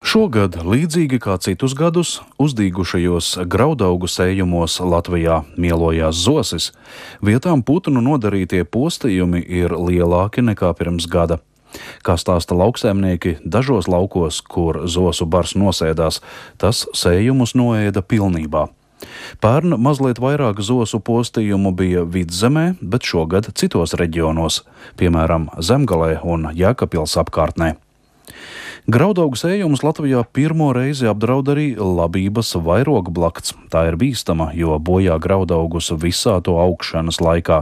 Šogad, līdzīgi kā citus gadus, uzdīgušajos graudaugu sējumos Latvijā mielojās zosis. Vietām putnu nodarītie postījumi ir lielāki nekā pirms gada. Kā stāsta lauksaimnieki, dažos laukos, kur zosu bars nosēdās, tas sējumus noēda pilnībā. Pērn mazliet vairāk zosu postījumu bija Vidzemē, bet šogad citos reģionos, piemēram, Zemgalē un Jēkabpils apkārtnē. Graudaugu sējumus Latvijā pirmo reizi apdraud arī labības vairogblakts. Tā ir bīstama, jo bojā graudaugus visā to augšanas laikā.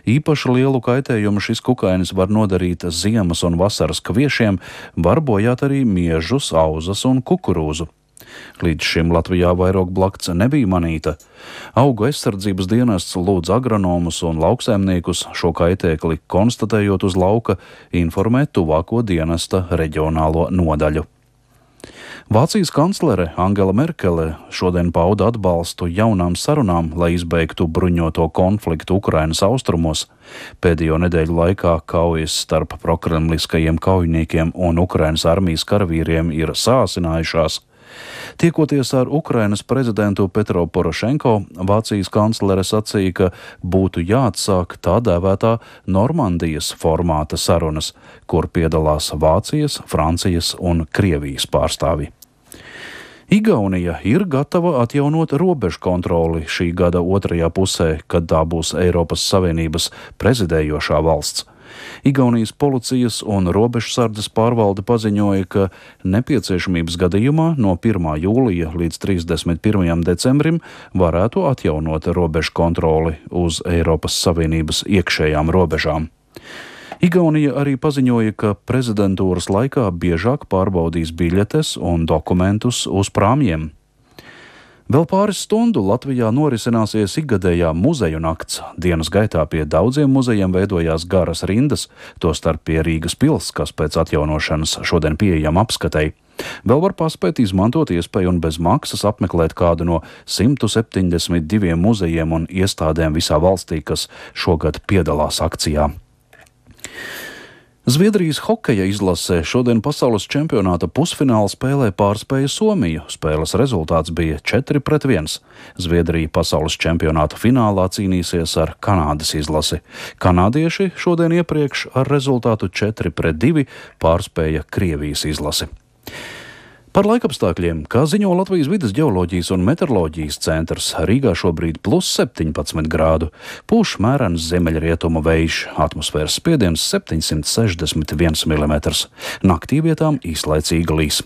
Īpaši lielu kaitējumu šis kukainis var nodarīt ziemas un vasaras kviešiem, var bojāt arī miežus, auzas un kukurūzu. Līdz šim Latvijā vairogblakts nebija manīta. Augu aizsardzības dienests lūdz agronomus un lauksaimniekus šo kaitēkli konstatējot uz lauka informēt tuvāko dienesta reģionālo nodaļu. Vācijas kanclere Angela Merkele šodien pauda atbalstu jaunām sarunām, lai izbeigtu bruņoto konfliktu Ukrainas austrumos. Pēdējo nedēļu laikā kaujas starp prokremliskajiem kaujiniekiem un Ukrainas armijas karavīriem ir sāsinājušās. Tiekoties ar Ukrainas prezidentu Petro Porošenko, Vācijas kanclere sacīja, ka būtu jāatsāk tā dēvētā Normandijas formāta sarunas, kur piedalās Vācijas, Francijas un Krievijas pārstāvji. Igaunija ir gatava atjaunot robežu kontroli šī gada otrajā pusē, kad tā būs Eiropas Savienības prezidējošā valsts. Igaunijas policijas un robežsardzes pārvalde paziņoja, ka nepieciešamības gadījumā no 1. jūlija līdz 31. decembrim varētu atjaunot robežu kontroli uz Eiropas Savienības iekšējām robežām. Igaunija arī paziņoja, ka prezidentūras laikā biežāk pārbaudīs biļetes un dokumentus uz prāmjiem. Vēl pāris stundu Latvijā norisināsies ikgadējā muzeju nakts. Dienas gaitā pie daudziem muzejiem veidojās garas rindas, tostarp pie Rīgas pils, kas pēc atjaunošanas šodien pieejama apskatei. Vēl var paspēt izmantot iespēju un bez maksas apmeklēt kādu no 172 muzejiem un iestādēm visā valstī, kas šogad piedalās akcijā. Zviedrijas hokeja izlase šodien pasaules čempionāta pusfināla spēlē pārspēja Somiju. Spēles rezultāts bija 4-1. Zviedrija pasaules čempionāta finālā cīnīsies ar Kanādas izlasi. Kanādieši šodien iepriekš ar rezultātu 4-2 pārspēja Krievijas izlasi. Par laikapstākļiem, kā ziņo Latvijas vides ģeoloģijas un meteoroloģijas centrs, Rīgā šobrīd +17 grādu, pūš mērens ziemeļrietumu vējš, atmosfēras spiediens 761 mm. Naktī vietām īslaicīga līs.